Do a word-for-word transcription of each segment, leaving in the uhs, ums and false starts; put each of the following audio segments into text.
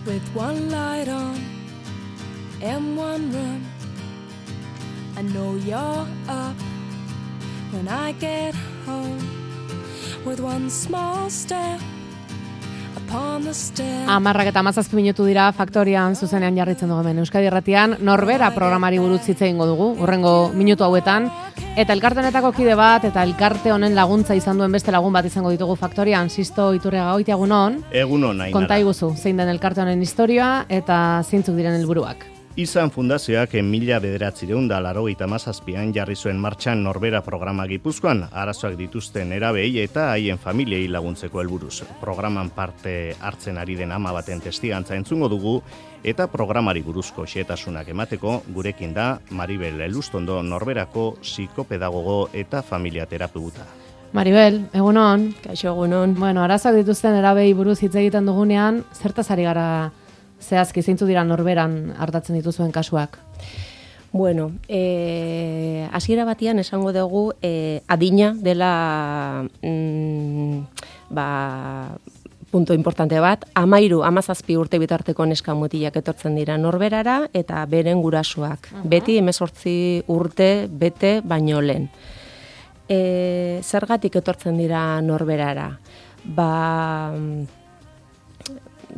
with one light on in one room. I know you're up when I get home with one small step upon the stair. Amarrak eta hamazazpi minutu dira Faktorian zuzenean jarritzen dugu hemen Euskadi Irratian. Norbera programari buruz hitz egingo dugu urrengo minutu hauetan. Eta elkarte honetako kide bat eta elkarte honen laguntza izan duen beste lagun bat izango ditugu Faktorian. Sisto Iturriaga, goiti egunon. Egunon, Ainara. Konta iguzu, zein den elkarte honen historia eta zeintzuk diren helburuak. Izan Fundazioak mila bederatziehun eta laurogeita hamazazpian jarri zuen martxan Norbera programa Gipuzkoan, arazoak dituzten nerabei eta haien familiei laguntzeko helburuz. Programan parte hartzen ari den ama baten testigantza entzungo dugu eta programari buruzko xehetasunak emateko gurekin da Maribel Elustondo, Norberako psikopedagogo eta familia terapeuta. Maribel, egunon. Kaixo, egunon. Bueno, arazoak dituzten nerabei buruz hitz egiten dugunean, zertaz ari gara zehazki zeintzu dira Norberan hartatzen dituzuen kasuak? Bueno, eh, hasiera batian esango dugu eh, adina dela mm, ba, punto importante bat, amairu, amazazpi urte bitarteko neska mutilak etortzen dira Norberara eta beren gurasoak. Uh-huh. Beti hemezortzi urte bete baino lehen. E, zergatik etortzen dira Norberara? Ba...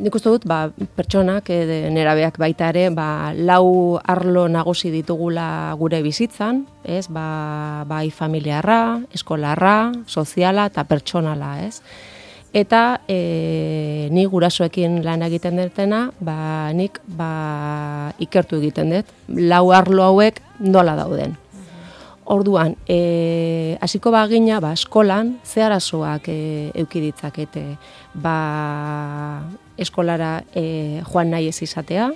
Nik uste dut, ba, pertsonak, e, nerabeak baita ere, ba, lau arlo nagusi ditugula gure bizitzan, ez? Ba, bai familiarra, eskolarra, soziala eta pertsonala, ez? Eta e, ni gurasoekin lan egiten dutena, ba, nik ba, ikertu egiten dut, lau arlo hauek nola dauden. Orduan, e, hasiko bagina, ba, eskolan, ze arazoak e, eduki ditzakete, ba, eskolara e, joan nahi ez izatea,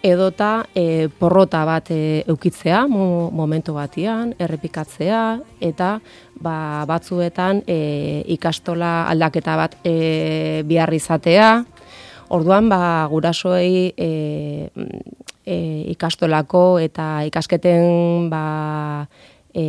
edota e, porrota bat e, eukitzea, mo, momentu batian, errepikatzea, eta ba, batzuetan e, ikastola aldaketa bat e, behar izatea. Orduan, ba, gurasoei e, e, ikastolako eta ikasketen ba, e,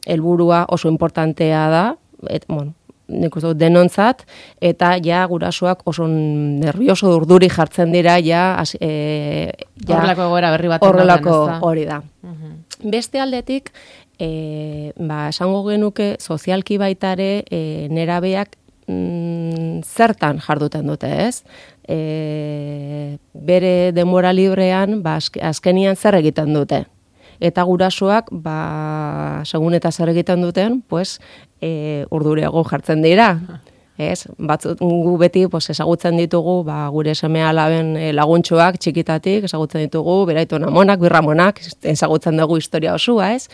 helburua oso importantea da, et, bueno, nik uste dut denontzat, eta ja gurasoak oso nervioso urduri jartzen dira, ja... E, ja horrelako egoera berri bat. Horrelako hori da. Uh-huh. Beste aldetik, e, ba, esango genuke sozialki baitare e, nerabeak mm, zertan jarduten dute, ez? E, bere denbora librean, ba, azkenian zer egiten dute. Eta gurasoak, ba, segun eta zer egiten duten, pues, e, urduriago jartzen dira. Ez? Batzut, gu beti pues, ezagutzen ditugu ba, gure seme-alaben e, laguntxoak txikitatik, ezagutzen ditugu beraitona monak, birramonak, ezagutzen dugu historia osua, ez?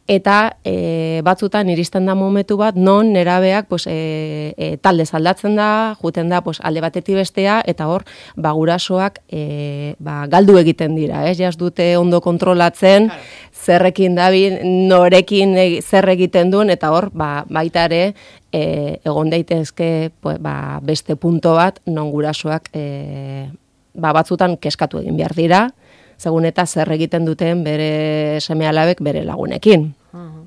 Eta e, batzutan iristen da momentu bat, non nerabeak pues, e, e, talde aldatzen da, juten da pues, alde batetik bestea, eta hor, ba, gurasoak e, ba, galdu egiten dira, ez? Jaz dute ondo kontrolatzen, zerrekin dabil, norekin e, zer egiten duen, eta hor, ba, baita ere, e, egon daitezke pues, ba, beste punto bat, non gurasoak e, ba, batzutan keskatu egin behar dira, segun eta zer egiten duten bere seme-alabek bere lagunekin. Uh-huh.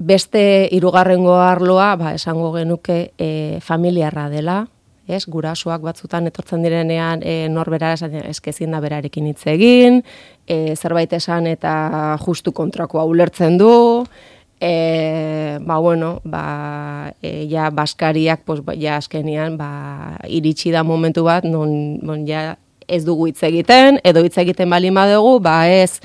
Beste hirugarrengo arloa, ba, esango genuke e, familiarra dela, ez? Gurasoak batzutan etortzen direnean e, norbera eskezin da berarekin hitz egin, e, zerbait esan eta justu kontrakoa ulertzen du, E, ba, bueno, ba, e, ja, baskariak, pues, ja, azkenian, ba, iritsi da momentu bat, non, bon, ja, ez dugu hitz egiten, edo hitz egiten baldin badugu, ba ez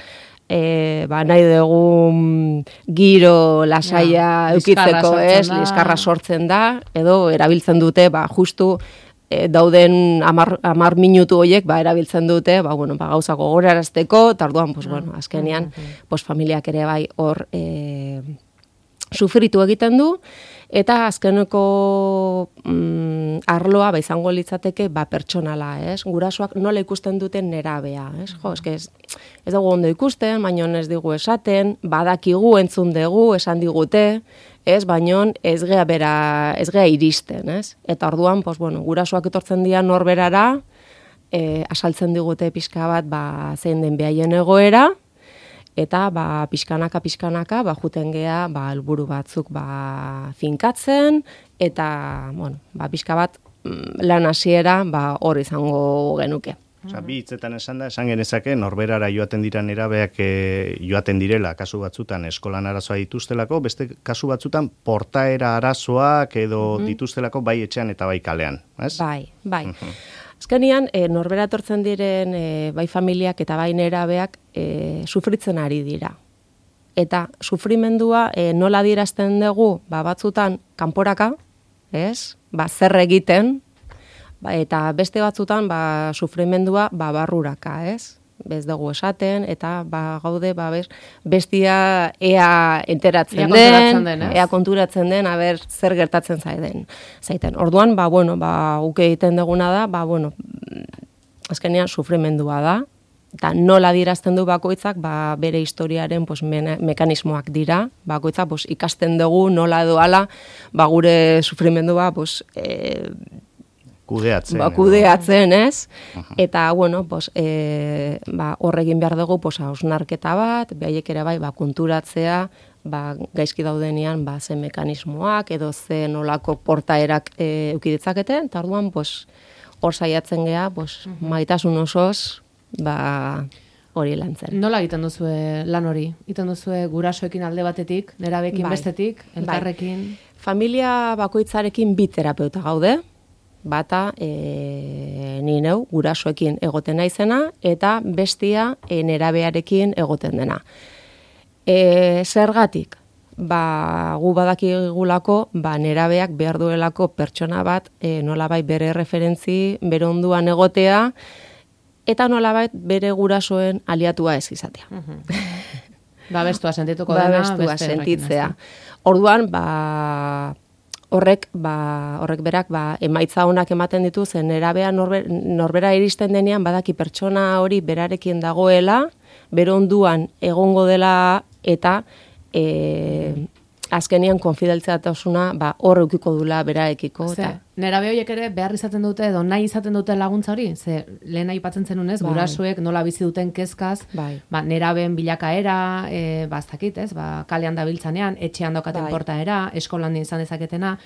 e, ba, nahi dugu giro lasaia ja, eukitzeko, ez, liskarra sortzen da, edo erabiltzen dute, ba, justu e, dauden amar, amar minutu horiek, ba, erabiltzen dute, ba, bueno, ba, gauzako gorarazteko, eta orduan, pues, bueno, azkenean, pues, familiak ere bai hor e, sufritu egiten du, eta azkeneko mm, arloa ba, izango litzateke ba, pertsonala, ez? Gurasoak nola ikusten duten nerabea, ez? Jo, eske ez, ez dugu ondo ikusten, baino ez digu esaten, badakigu entzun dugu, esan digute, ez? Baino ez gea bera, ez gea iristen, ez? Eta orduan, pues, bueno, gurasoak etortzen dira norberara, e, asaltzen digute pixka bat, ba, zein den behaien egoera, eta ba, pixkanaka, pixkanaka, ba, juten gea, ba, helburu batzuk ba, finkatzen, eta, bueno, ba, pixka bat, lan hasiera ba, hor izango genuke. Osa, bi hitzetan esan da, esan genezake, norberara joaten dira nerabeak e, joaten direla, kasu batzutan eskolan arazoa dituztelako, beste kasu batzutan portaera arazoak edo mm-hmm. dituztelako bai etxean eta bai kalean, ez? Bai, bai. Mm-hmm. Azkenean, e, norbera etortzen diren e, bai familiak eta bai nerabeak e, sufritzen ari dira. Eta sufrimendua e, nola adierazten dugu, ba, batzutan kanporaka, ez? Ba, zer egiten, ba, eta beste batzutan ba, sufrimendua ba, barruraka, ez? Bez dugu esaten, eta ba, gaude ba, bez, bestia ea enteratzen ea den, den ea konturatzen den, aber zer gertatzen zaiten. zaiten. Orduan, ba, bueno, ba, uke egiten duguna da, ba, bueno, azkenean sufrimendua da, eta nola dirazten du bakoitzak, ba, bere historiaren pues, me mekanismoak dira, bakoitzak pues, ikasten dugu nola doala, ba, gure sufrimendua pues, e, Kudeatzen. Ba, kudeatzen, ez? Uh-huh. Eta, bueno, pues, e, ba, horregin behar dugu, pues, hausnarketa bat, behaiek ere bai, ba, konturatzea, ba, gaizki daudenean, ba, ze mekanismoak, edo ze nolako portaerak e, eukiditzaketen, eta orduan, pues, hor saiatzen geha, pues, uh-huh. maitasun osoz, ba, hori lantzen. Nola egiten duzue lan hori? Egiten duzue gurasoekin alde batetik, nerabekin bai. bestetik, elkarrekin? Bai. Familia bakoitzarekin bi terapeuta gaude, bata e, ni neu gurasoekin egoten naizena eta bestia e, nerabearekin egoten dena. E, zergatik? Ba, gu badakigulako, ba, nerabeak behar duelako pertsona bat e, nolabait bere referentzi, bere onduan egotea, eta nolabait bere gurasoen aliatua ez izatea. Uh-huh. Ba, bestua sentituko dena, bestua sentitzea. Orduan, ba, Horrek, ba, horrek berak ba, emaitza honak ematen ditu, zen nerabea norber, norbera iristen denean badaki pertsona hori berarekin dagoela, bere onduan egongo dela eta e, azkenean konfideltziatasuna ba, hor eukiko dula beraekiko. Ze, nerabe horiek ere behar izaten dute edo nahi izaten dute laguntza hori? Ze, lehen aipatzen zenunez, bai. Gurasoek nola bizi duten kezkaz, bai. Ba, neraben bilakaera, e, ba, ez dakit, ez, ba, kalean dabiltzanean, etxean daukaten bai. Portaera, eskolan izan dezaketena.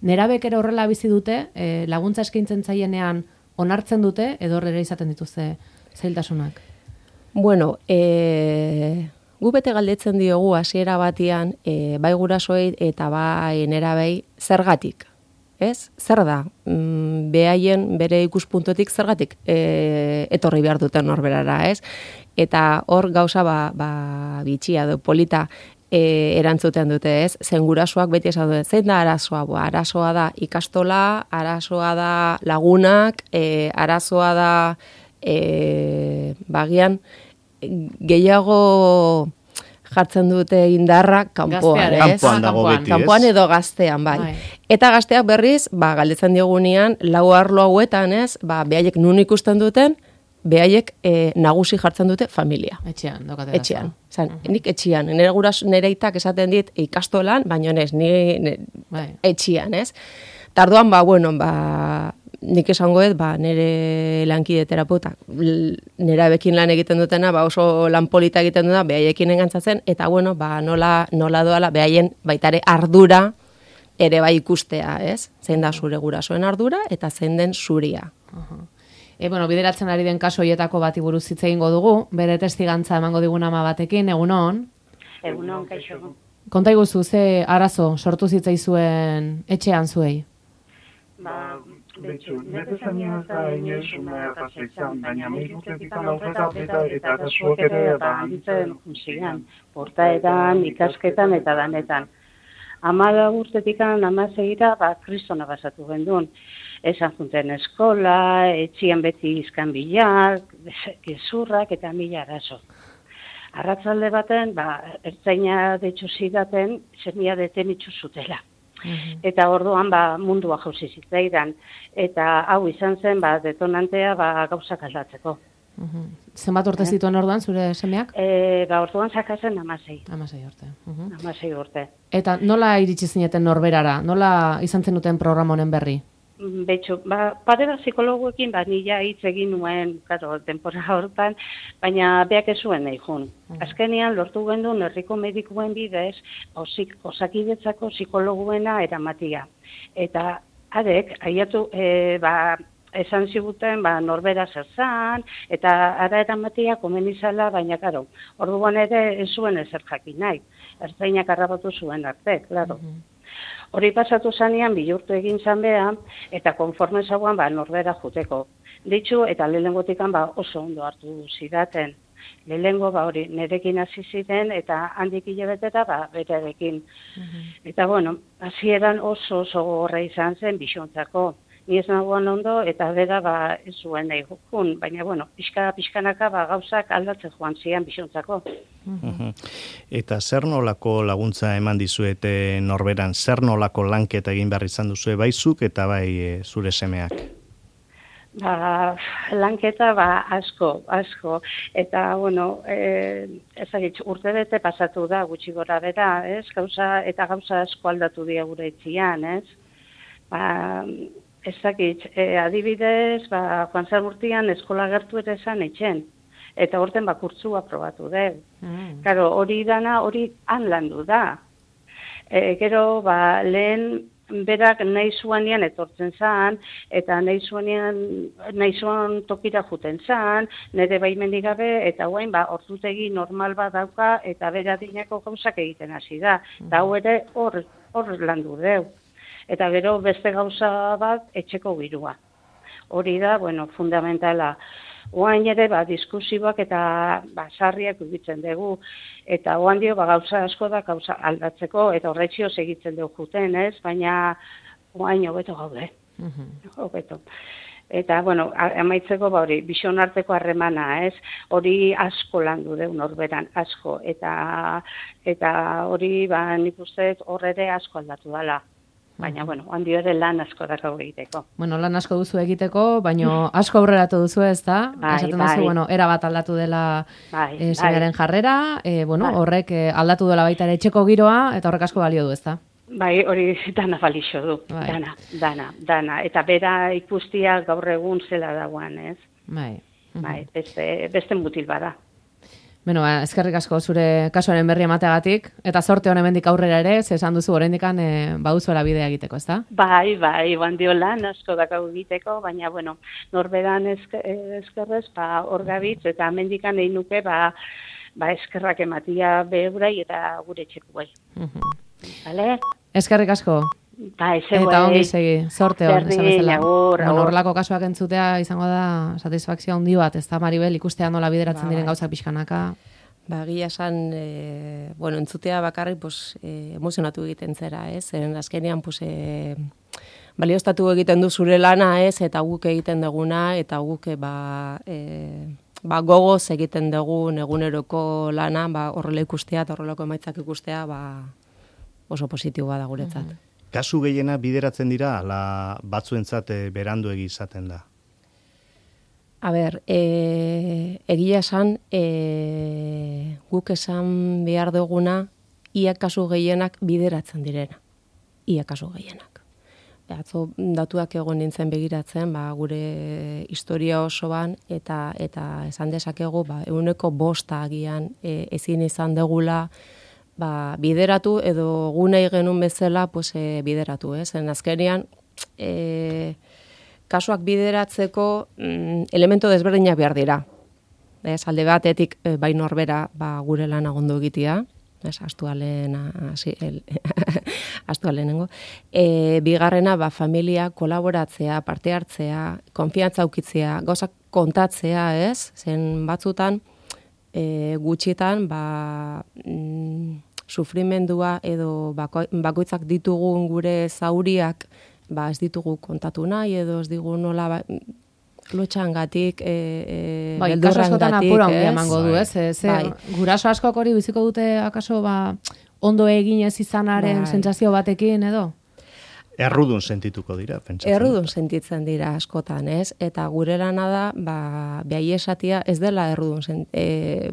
Nerabek ere horrela bizi dute, e, laguntza eskaintzen zaienean onartzen dute, edo horrela izaten dituzte zailtasunak? Bueno, e... Gu bete galdetzen diogu hasiera batian, e, bai gurasoei eta bai nerabei zergatik, ez? Zer da? Mm, behaien bere ikuspuntutik zergatik e, etorri behar duten norberara, ez? Eta hor gauza ba, ba bitxia edo polita e, erantzuten dute, ez? Zen gurasoak beti esan dute, zein da arazoa? Bo, arazoa da ikastola, arazoa da lagunak, e, arazoa da e, bagian gehiago jartzen dute indarra kanpoan, ez? Kanpoan dago beti, ez? Kanpoan edo gaztean, bai. bai. Eta gazteak berriz, ba, galdetzen diogunean, lau arlo hauetan, ez? Ba, behaiek nun ikusten duten, behaiek e, nagusi jartzen dute familia. Etxean, dokate Etxean. Zan, uh-huh. Nik etxean. Nire guras, nire itak esaten dit ikastolan, baina ez, nire bai. Etxean, ez? Tarduan, ba, bueno, ba, nik esangoet, ba, nire lankide terapeuta, nerabekin lan egiten dutena, ba, oso lan polita egiten dutena, behaiekin engantzatzen, eta bueno, ba, nola, nola doala, behaien baitare ardura ere bai ikustea, ez? Zein da zure gurasoen ardura, eta zein den zuria. Uh-huh. E, bueno, bideratzen ari den kaso hoietako bati buruz hitz egingo dugu, bere testigantza emango digun ama batekin, egunon? Egunon, kaixo. Konta iguzu, ze arazo sortu zitzaizuen etxean zuei? Ba, betxu, nire zanian eta inoiz umea paseizan, baina mehiztetik alauzeta eta eta arazuak ere eta handitzen junzian, portaetan, ikasketan eta danetan. Amala urtetik amaseira, ba, kristona basatu gendun. Esan junten eskola, etxian beti izkan bilak, gezurrak eta mila arazo. Arratzalde baten, ba, ertzaina detxu zidaten, zemia deten itxu zutela. Uhum. Eta orduan ba, mundua jauzi zitzaidan. Eta hau izan zen ba, detonantea ba, gauzak aldatzeko. Uhum. Zenbat urte zituen orduan, zure semeak? E, ba, orduan zakazen amasei. Amasei urte. Uhum. Amasei urte. Eta nola iritsi zineten norberara? Nola izan zenuten programa honen berri? Betxu, ba, padera psikologuekin, ba, nila hitz egin nuen, karo, denpora hortan, baina beak ez zuen nahi jun. Mm. Azkenean, lortu gendun, herriko medikuen bidez, osik, osakidetzako psikologuena eramatia. Eta arek, aiatu, e, ba, esan ziguten, ba, norbera zer zan, eta ara eramatia komenizala, baina, karo, orduan ere ez zuen ezer jakin nahi. Ertzainak harrapatu zuen arte, klaro. Hori pasatu zanean, bihurtu egin zan beha, eta konforme zauan, ba, norbera juteko. Ditxu, eta lehengotikan, ba, oso ondo hartu zidaten. Lehengo, ba, hori, nerekin hasi ziren, eta handik hilabetera, ba, berarekin. Eta, bueno, hasieran oso oso gorra izan zen, bixontzako. Ni ez nagoan ondo, eta bera, ba, ez zuen nahi jokun. Baina, bueno, pixka, pixkanaka, ba, gauzak aldatzen joan zian bixontzako. Eta zer nolako laguntza eman dizuete norberan? Zer nolako lanketa egin behar izan duzue baizuk eta bai e, zure semeak? Ba, lanketa, ba, asko, asko. Eta, bueno, e, ezagitz, urte bete pasatu da, gutxi gora bera, ez? Gauza, eta gauza asko aldatu dira gure etxian, ez? Ba, ezagitz, e, adibidez, ba, Juan Zalmurtian eskola gertu ere esan etxen. Eta horten bakurtzua probatu deu. Mm. Karo, hori dana, hori han landu da. E, gero, ba, lehen berak nahi zuanean etortzen zan, eta nahi zuanean, nahi zuan tokira juten zan, nire baimenik gabe, eta guain, ba, ordutegi normal bat dauka, eta bera dinako gauzak egiten hasi da. Eta hau ere hor, hor landu deu. Eta gero beste gauza bat etxeko girua. Hori da, bueno, fundamentala. Oain ere, ba, diskusiboak eta ba, sarriak ugitzen dugu. Eta oan dio, ba, gauza asko da gauza aldatzeko, eta horretxio segitzen dugu juten, ez? Baina oain hobeto gaude. Hobeto. Eta, bueno, amaitzeko, ba, hori, bixon arteko harremana, ez? Hori asko landu deu norberan, asko. Eta, eta hori, ba, nik uste hor ere asko aldatu dela. Baina, bueno, handi ere lan asko dako egiteko. Bueno, lan asko duzu egiteko, baina asko aurreratu duzu, ez da? Bai, Esaten bai. duzu, bueno, era bat aldatu dela Bai, e, semearen jarrera, e, bueno, Bai. horrek e, aldatu dela baita ere etxeko giroa, eta horrek asko balio du, ez da? Bai, hori dana balixo du, Bai. dana, dana, dana. Eta bera ikustia gaur egun zela dagoan, ez? Bai. Bai, beste, beste mutil bada. Bueno, ba, eskerrik asko zure kasuaren berri emateagatik, eta sorte honen mendik aurrera ere, ze esan duzu oraindikan e, baduzuela bidea egiteko, ez da? Bai, bai, bandio lan asko dakau egiteko, baina, bueno, norberan esker, eskerrez, ba, hor gabitz, eta mendikan egin nuke, ba, ba, eskerrak ematia behurai eta gure txeko bai. Vale? Eskerrik asko. Bai, ze Eta ongi segi, sorte hon, esan Berdin, bezala. agur, Bueno, agur. horrelako kasuak entzutea izango da satisfakzio handi bat, ez da, Maribel, ikustea nola bideratzen Bai. diren gauzak pixkanaka. Ba, egia esan, e, bueno, entzutea bakarrik, pues, e, emozionatu egiten zera, ez? Zeren azkenean, pues, e, balioztatu egiten du zure lana, ez? Eta guk egiten duguna, eta guk, e, ba, e, ba, gogoz egiten dugun eguneroko lana, ba, horrela ikustea, eta horrelako emaitzak ikustea, ba, oso positiboa da guretzat. Kasu gehiena bideratzen dira, ala batzuentzat e, beranduegi izaten da. A ber, e, egia esan, e, guk esan behar duguna, ia kasu gehienak bideratzen direna. Ia kasu gehienak. Atzo datuak egon nintzen begiratzen, ba, gure historia osoan, eta eta esan dezakegu, ba, eguneko bosta agian e, ezin izan degula, ba, bideratu edo gunei genuen bezala pues, e, bideratu. Ez? En azkenean, e, kasuak bideratzeko mm, elemento desberdinak behar dira. Ez, alde batetik e, bai norbera ba, gure lana ondo egitea, ez, astualen, asi, el, astualenengo. E, bigarrena, ba, familia kolaboratzea, parte hartzea, konfiantza aukitzea, gauzak kontatzea, ez? Zen batzutan, e, gutxitan, ba, mm, sufrimendua edo bako, bakoitzak ditugun gure zauriak, ba, ez ditugu kontatu nahi, edo ez digu nola, ba, lotxangatik, e, e, Bai, kaso askotan apura beldurrangatik, ongi ez? emango du, ez? Ze, Bai. guraso askok hori biziko dute, akaso, ba, ondo egin ez izanaren Bai. sentsazio batekin, edo? Errudun sentituko dira, pentsatzen. Errudun sentitzen dira askotan, ez? Eta gure lana da, ba, behai esatia ez dela errudun, sen, e,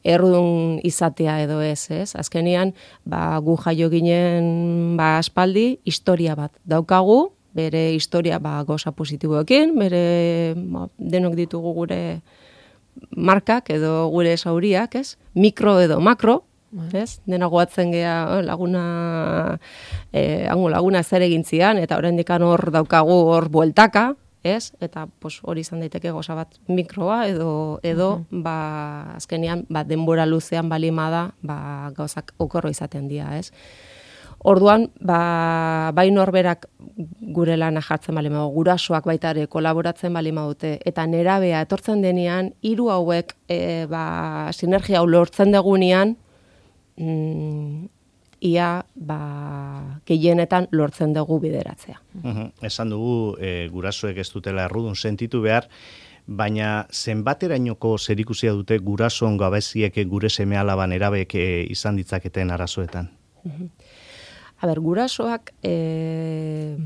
errudun izatea edo ez, ez? Azkenian, ba, gu jaio ginen ba, aspaldi, historia bat daukagu, bere historia ba, goza positiboekin, bere ba, denok ditugu gure markak edo gure zauriak, ez? Mikro edo makro, Ez? Dena goatzen gea laguna, eh, hango laguna zer egin zian, eta oraindik hor daukagu hor bueltaka, ez? Eta pues, hori izan daiteke goza bat mikroa edo edo uh-huh. ba, azkenean ba, denbora luzean balimada ba, gauzak okorro izaten dira, ez? Orduan, ba, bai norberak gure lana jartzen balima du, gurasoak baita ere kolaboratzen balima dute, eta nerabea etortzen denean, hiru hauek e, ba, sinergia hau lortzen degunean, mm, ia ba, gehienetan lortzen dugu bideratzea. Uhum. Esan dugu e, gurasoek ez dutela errudun sentitu behar, baina zenbaterainoko zerikusia dute gurasoen gabeziek gure seme-alaban erabeek e, izan ditzaketen arazoetan? Uhum. A ber, gurasoak e,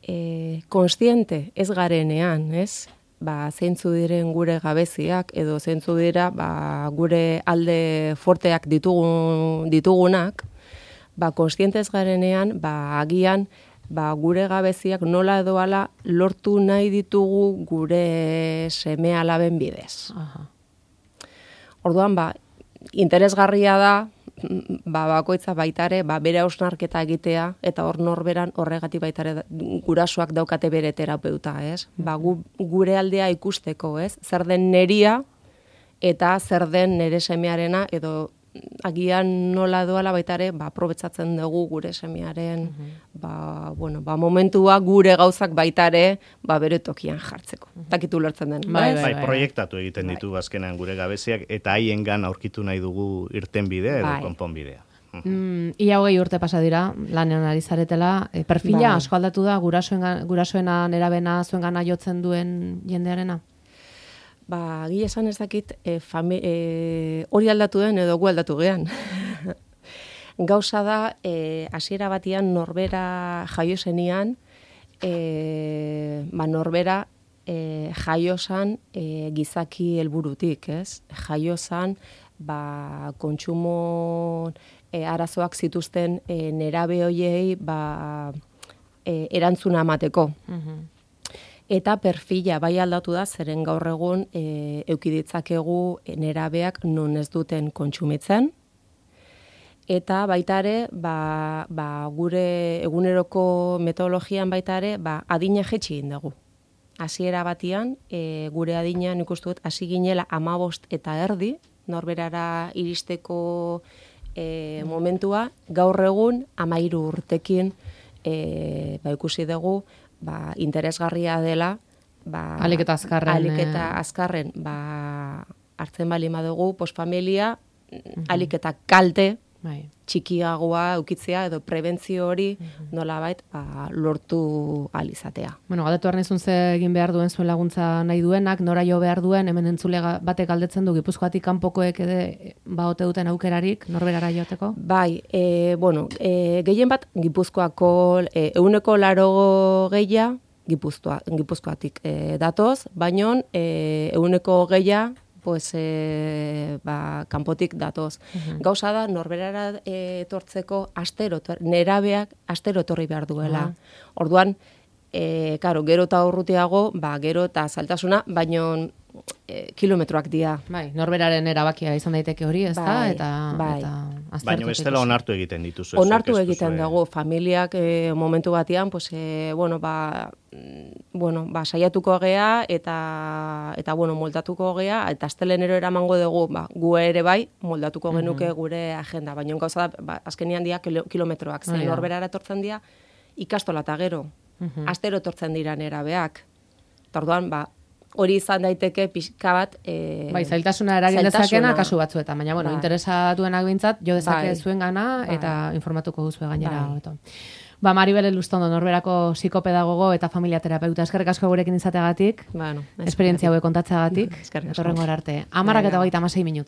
e, konstiente ez garenean, ez? Ba, zeintzu diren gure gabeziak edo zeintzu dira ba, gure alde forteak ditugun, ditugunak, ba, konstiente ez garenean, ba, agian ba, gure gabeziak nola edo ala lortu nahi ditugu gure seme-alaben bidez. Aha. Orduan, ba, interesgarria da, ba, bakoitza baitare, ba, bere hausnarketa egitea, eta hor norberan horregatik baitare gurasoak daukate bere terapeuta, ez? Ba, gu, gure aldea ikusteko, ez? Zer den neria, eta zer den nere semearena, edo agian nola doala baitare, ba, aprobetsatzen dugu gure semearen, uh-huh. ba, bueno, ba, momentua gure gauzak baitare, ba, bere tokian jartzeko. Uh-huh. Takitu lertzen den. Bai, bai, bai, proiektatu egiten ditu azkenan gure gabeziak, eta haiengan aurkitu nahi dugu irten bidea edo bai. konponbidea. Mm, ia hogei urte pasa dira, lanean ari zaretela, e, perfila bai. asko aldatu da, gurasoen, gurasoena nerabena zuengana jotzen duen jendearena? Ba, gile esan ez dakit, e, fami, e, hori aldatu den edo gu aldatu gean. Gauza da, e, hasiera batian norbera jaio zenian, e, ba, norbera e, jaio zan e, gizaki helburutik, ez? Jaio zan, ba, kontsumo e, arazoak zituzten e, nerabe hoiei ba, e, erantzuna emateko. Uh-huh. Eta perfila bai aldatu da, zeren gaur egun e, eukiditzakegu nerabeak non ez duten kontsumitzen. Eta baita ere, ba, ba, gure eguneroko metodologian baita ere, ba, adina jetxi egin dugu. Hasiera batian, e, gure adina nik uste dut hasi ginela hamabost eta erdi, norberara iristeko e, momentua, gaur egun hamairu urtekin e, ba, ikusi dugu, ba, interesgarria dela, ba, alik eta azkarren, alik eta azkarren ba, hartzen bali madugu, posfamilia, uh-huh. alik eta kalte, bai. txikiagoa eukitzea, edo prebentzio hori uh-huh. nolabait ba, lortu alizatea. Bueno, galdetu arnezun ze egin behar duen zuen laguntza nahi duenak, nora jo behar duen, hemen entzule batek galdetzen du, Gipuzkoatik kanpokoek ede baote duten aukerarik, norberara joateko? Bai, e, bueno, e, gehien bat Gipuzkoako e, euneko laro gehia, Gipuzkoa, Gipuzkoatik e, datoz, baino e, euneko gehia, pues, e, ba, kanpotik datoz. Uh-huh. Gauza da, norberara etortzeko astero, nerabeak astero etorri behar duela. Uh-huh. Orduan, e, karo, gero eta urrutiago, ba, gero eta saltasuna, baino e, kilometroak dira. Bai, norberaren erabakia izan daiteke hori, ez da? Bai, eta, bai. eta baina bestela onartu egiten dituzu. Onartu egiten dago, familiak e, momentu batean, pues, e, bueno, ba, bueno, ba, saiatuko gea eta eta bueno, moldatuko gea eta astelenero eramango dugu, ba, gu ere bai moldatuko genuke gure agenda, baina gauza da, ba, azkenean dira kilometroak, zen norberara etortzen dira ikastola eta gero. Uh-huh. Astero etortzen dira nerabeak. Eta orduan, ba, hori izan daiteke pixka bat e, bai, zailtasuna eragin dezakena kasu batzuetan, baina bueno, bai. interesatuenak bintzat jo dezake bai. zuen gana eta bai. informatuko duzu gainera bai. Ba, Maribel Elustondo, norberako psikopedagogo eta familia terapeuta. Eskerrik asko gurekin izateagatik, bueno, esperientzia hauek kontatzeagatik, etorrengo arte. Hamarak eta hogeita hamasei minutu.